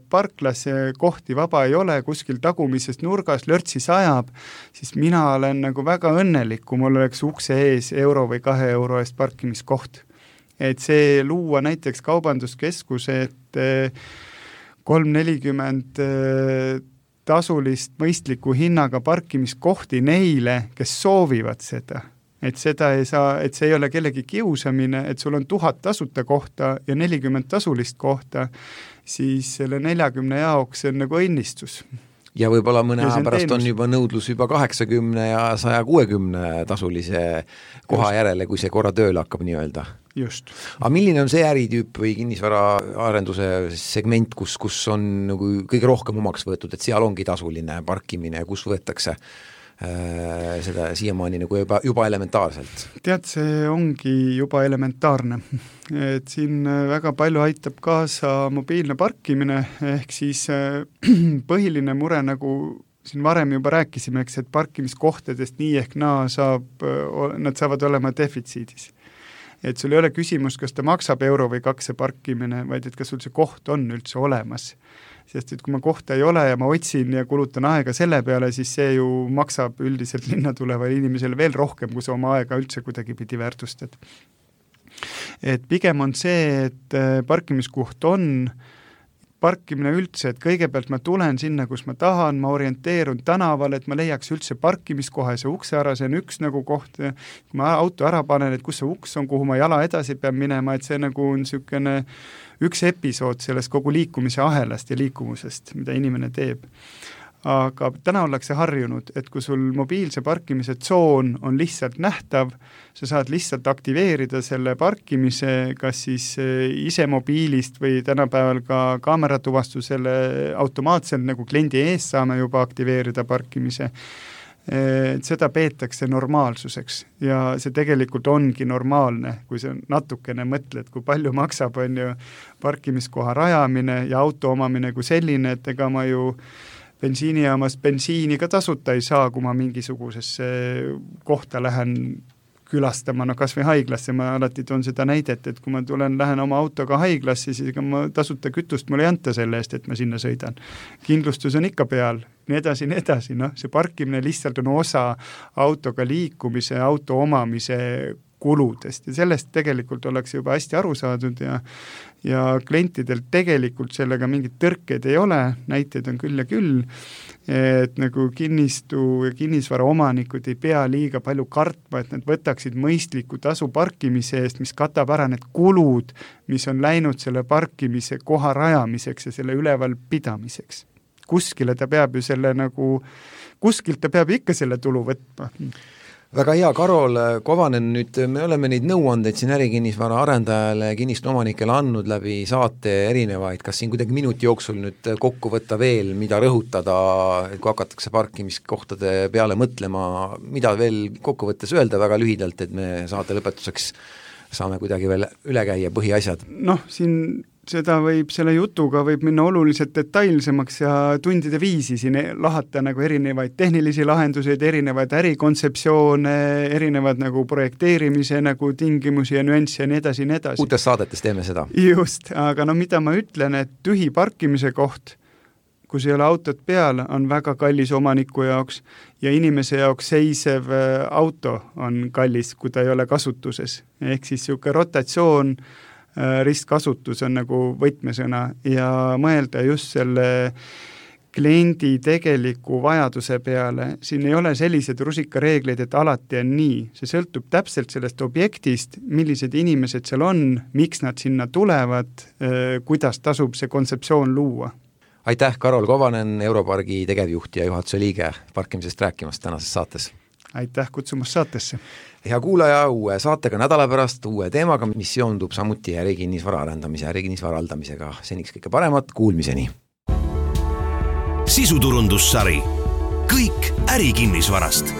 parklasse, kohti vaba ei ole, kuskil tagumises nurgas lörtsi sajab, siis mina olen nagu väga õnnelik, kui mul oleks ukse ees euro või 2 euro eest parkimiskoht. Et see luua näiteks kaubanduskeskuse, et 3-40 tasulist mõistliku hinnaga parkimiskohti neile, kes soovivad seda. Et seda ei saa, et see ei ole kellegi kiusamine, et sul on 1000 tasuta kohta ja 40 tasulist kohta, siis selle 40 jaoks on nagu õnnistus. Ja võib-olla mõne aja pärast on juba nõudlus juba 80 ja 160 tasulise koha järele, kui see korra tööle hakkab nii öelda. Just. Aga milline on see äritüüp või kinnisvaraarenduse segment, kus on nagu kõige rohkem omaks võetud, et seal ongi tasuline parkimine, kus võetakse seda siiamaani nagu juba elementaarselt? Tead, see ongi juba elementaarne. Et siin väga palju aitab kaasa mobiilne parkimine, ehk siis põhiline mure, nagu siin varem juba rääkisime, et parkimiskohtadest nii ehk naa nad saavad olema defitsiidis. Et sul ei ole küsimus, kas ta maksab euro või 2 parkimine, vaid et kas sul see koht on üldse olemas. Sest et kui ma kohta ei ole ja ma otsin ja kulutan aega selle peale, siis see ju maksab üldiselt linna tulevale inimesele veel rohkem, kui sa oma aega üldse kuidagi pidi väärtustad. Et pigem on see, et parkimiskoht on parkimine üldse, et kõigepealt ma tulen sinna, kus ma tahan, ma orienteerun tänaval, et ma leiaks üldse parkimiskoha, see ukse ära, see on üks nagu koht, kui ma auto ära panen, et kus see uks on, kuhu ma jala edasi pean minema, et see nagu on niisugune üks episood sellest kogu liikumise ahelast ja liikumusest, mida inimene teeb. aga täna ollakse harjunud, et kui sul mobiilse parkimise tsoon on lihtsalt nähtav, sa saad lihtsalt aktiveerida selle parkimise, kas siis ise mobiilist või tänapäeval ka kaameratuvastusele automaatselt nagu kliendi ees saame juba aktiveerida parkimise. Seda peetakse normaalsuseks ja see tegelikult ongi normaalne, kui sa natukene mõtled, kui palju maksab on ju parkimiskoha rajamine ja auto omamine kui selline, et ega ma ju bensiinijaamas bensiini ka tasuta ei saa, kui ma mingisugusesse kohta lähen külastama, no kas või haiglasse, ma alati toon seda näidet, et kui ma lähen oma autoga haiglasse, siis ega ma tasuta kütust mulle ei anta selle eest, et ma sinna sõidan. Kindlustus on ikka peal, nii edasi, noh, see parkimine lihtsalt on osa autoga liikumise, auto omamise kuludest ja sellest tegelikult oleks juba hästi aru saadud ja klientidel tegelikult sellega mingit tõrkeid ei ole, näiteid on küll ja küll, et nagu kinnistu ja kinnisvara omanikud ei pea liiga palju kartma, et nad võtaksid mõistliku tasu parkimise eest, mis katab ära need kulud, mis on läinud selle parkimise koha rajamiseks ja selle üleval pidamiseks. Kuskilt ta peab ikka selle tulu võtma. Väga hea, Karol Kovanen, nüüd me oleme neid nõuandeid siin ärikinnisvara arendajale, kinnistu omanikele andnud läbi saate erinevaid, kas siin kuidagi minuti jooksul nüüd kokku võtta veel, mida rõhutada, kui hakatakse parkimiskohtade peale mõtlema, mida veel kokku võttes öelda väga lühidalt, et me saate lõpetuseks saame kuidagi veel üle käia põhiasjad? Noh, siin selle jutuga võib minna oluliselt detailsemaks ja tundide viisi siin lahata nagu erinevaid tehnilisi lahenduseid, erinevaid ärikontseptsioone, erinevad nagu projekteerimise nagu tingimusi ja nüansse ja nii edasi. Uutes saadetes teeme seda. Just, aga no mida ma ütlen, et tühi parkimise koht, kus ei ole autot peal, on väga kallis omaniku jaoks ja inimese jaoks seisev auto on kallis, kui ta ei ole kasutuses. Ehk siis niisugune rotatsioon, ristkasutus on nagu võtmesõna ja mõelda just selle kliendi tegeliku vajaduse peale. Siin ei ole sellised rusikareegleid, et alati on nii. See sõltub täpselt sellest objektist, millised inimesed seal on, miks nad sinna tulevad, kuidas tasub see kontseptsioon luua. Aitäh, Karol Kovanen, Europargi tegevjuht ja juhatuse liige parkimisest rääkimast tänases saates. Aitäh kutsumast saatesse. Hea kuulaja, uue saatega nädala pärast, uue teemaga, mis seondub samuti ärikinnisvara arendamise, ärikinnisvara haldamisega. Seniks kõike paremat, kuulmiseni. Sisuturundussari. Kõik ärikinnisvarast.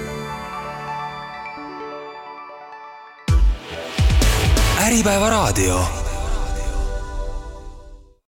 Äripäeva raadio.